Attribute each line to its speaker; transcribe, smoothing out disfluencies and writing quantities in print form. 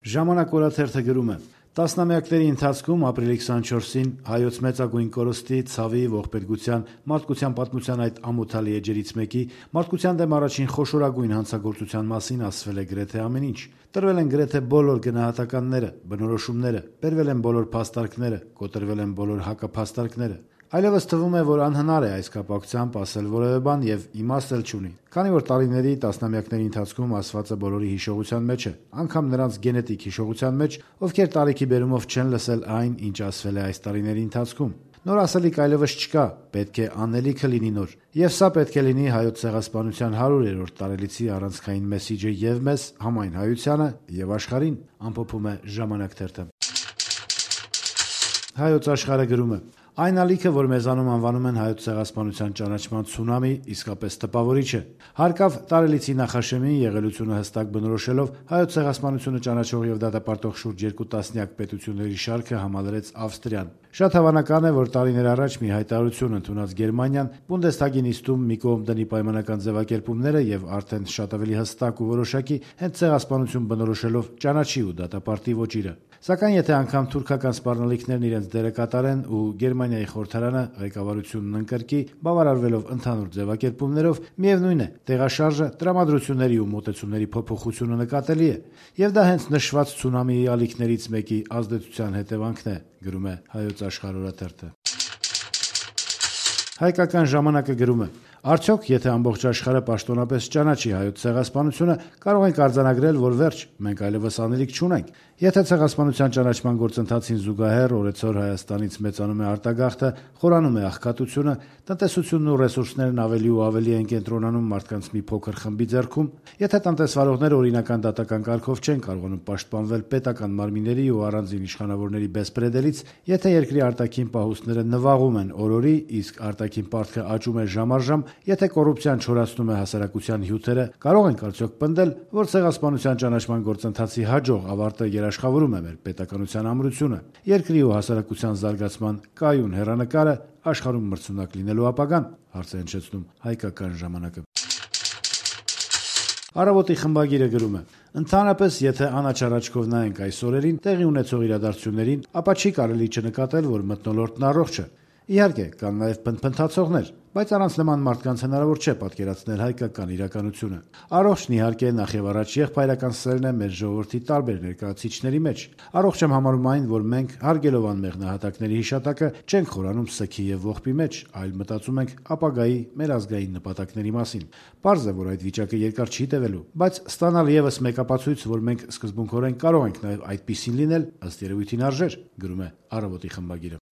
Speaker 1: Ժամանակ օրաթերթը գրում է. «Տասնամյակների ընթացքում ապրիլի 24-ին հայոց մեծագույն կորստի, ցավի, ողբերգության, մարդկության պատմության այդ ամոթալի էջերից մեկի՝ մարդկության դեմ առաջին խոշորագույն հանցագործության մասին ասվել է գրեթե ամեն ինչ։ Տրվել են գրեթե բոլոր գնահատականները, բնորոշումները, բերվել են բոլոր փաստարկները, կոտրվել են բոլոր հակափաստարկները։ Այլևս թվում է, որ անհնար է այս կապակցությամբ ասել որևէ բան եւ իմաստ էլ չունի, քանի որ տարիների, տասնամյակների ընթացքում ասվածը բոլորի հիշողության մեջ է, անգամ նրանց գենետիկ հիշողության մեջ, ովքեր տարիքի բերումով չեն լսել այն, ինչ ասվել է այս տարիների ընթացքում։ Նոր ասելիք այլևս չկա, պետք է անելիքը լինի նոր։ Եվ սա պետք է լինի հայոց ցեղասպանության 100-րդ տարելիցի առանցքային մեսիջը եւ մեզ, համայն հայությանը եւ աշխարհին», ամփոփում է Ժամանակ թերթը։ Հայոց Աշխարհը գրում է. «Այն ալիքը, որ մեզանում անվանում են հայոց ցեղասպանության ճանաչման ցունամի, իսկապես տպավորիչ է։ Հարկավ տարելիցի նախաշեմին եղելությունը հստակ բնորոշելով հայոց ցեղասպանությունը ճանաչող եւ դատապարտող շուրջ 2 տասնյակ պետությունների շարքը համալրեց Ավստրիան։ Շատ հավանական է, որ տարիներ առաջ մի հայտարարություն ընդունած Գերմանիան Բունդեսթագի նիստում մի կողմ դնի պայմանական ձևակերպումները եւ արդեն շատ ավելի հստակ ու որոշակի հենց ցեղասպանություն բնորոշելով ճանաչի ու դատապարտի ոճիրը։ Սակայն եթե անգամ թուրքական սպառնալիքներն իրենց դերը կատարեն ու Գերմանիայի խորհրդարանը ղեկավարությունն ընկրկի, բավարարվելով ընդհանուր ձևակերպումներով, միևնույն է, տեղաշարժը, տրամադրությունների ու մոտեցումների փոփոխությունը նկատելի է, եւ դա հենց նշված ցունամիի ալիքներից մեկի ազդեցության հետևանքն է», գրում է Հայոց Աշխարհ օրաթերթը։ Հայկական ժամանակը գրում է. «Արդյոք, եթե ամբողջ աշխարհը պաշտոնապես ճանաչի հայոց ցեղասպանությունը, կարող ենք արձանագրել, որ վերջ, մենք այլևս անելիք չունենք։ Եթե ցեղասպանության ճանաչման գործընթացին զուգահեռ օրեցօր Հայաստանից մեծանում է արտագաղթը, խորանում է աղքատությունը, տնտեսությունն ու ռեսուրսներն ավելի ու ավելի են կենտրոնանում մարդկանց մի փոքր խմբի ձեռքում, եթե տնտեսվարողները օրինական դատական կարգով չեն կարողանում պաշտպանվել պետական մարմինների ու առանձին իշխանավորների բեսպրեդելից, եթե երկրի արտաքին պահուստները նվաղում են օրորի, իսկ արտաքին պարտքը աճում է ժամ առ ժամ, եթե կոռուպցիան չորացնում է հասարակության հյութերը, կարող ենք արդյոք պնդել, որ ցեղասպանության ճանաչման գործընթացի հաջող ավարտը երաշխավորում է մեր պետականության ամրությունը, երկրի ու հասարակության զարգացման կայուն հեռանկարը, աշխարհում մրցունակ լինելու ապագան», հարց է հնչեցնում Հայկական ժամանակը։ Առավոտի խմբագիրը գրում է. «Ընդհանրապես, եթե անաչառ աչքով նայենք այս օրերին տեղի ունեցող իրադարձություններին, ապա չի կարելի չնկատել, որ մթնոլորտն առողջ է։ Իհարկե, կան նաև փնփնթացողներ, բայց առանց նման մարդկանց հնարավոր չէ պատկերացնել հայկական իրականությունը։ Առողջն իհարկե նախ եւ առաջ եղբայրական սերն է մեր ժողովրդի տարբեր ներկայացուցիչների մեջ։ Առողջ եմ համարում այն, որ մենք, հարգելով անմեղ նահատակների հիշատակը, չենք խորանում սգի եւ ողբի մեջ, այլ մտածում ենք ապագայի մեր ազգային նպատակների մասին։ Պարզ է, որ այդ վիճակը երկար չի տևելու, բայց ստանալ եւս մեկ ապացույց, որ մենք սկզբունքորեն կարող ենք նաեւ այդպիսին լինել, ըստ երևույթին արժեր», գրում է Առավոտի խմբագիրը։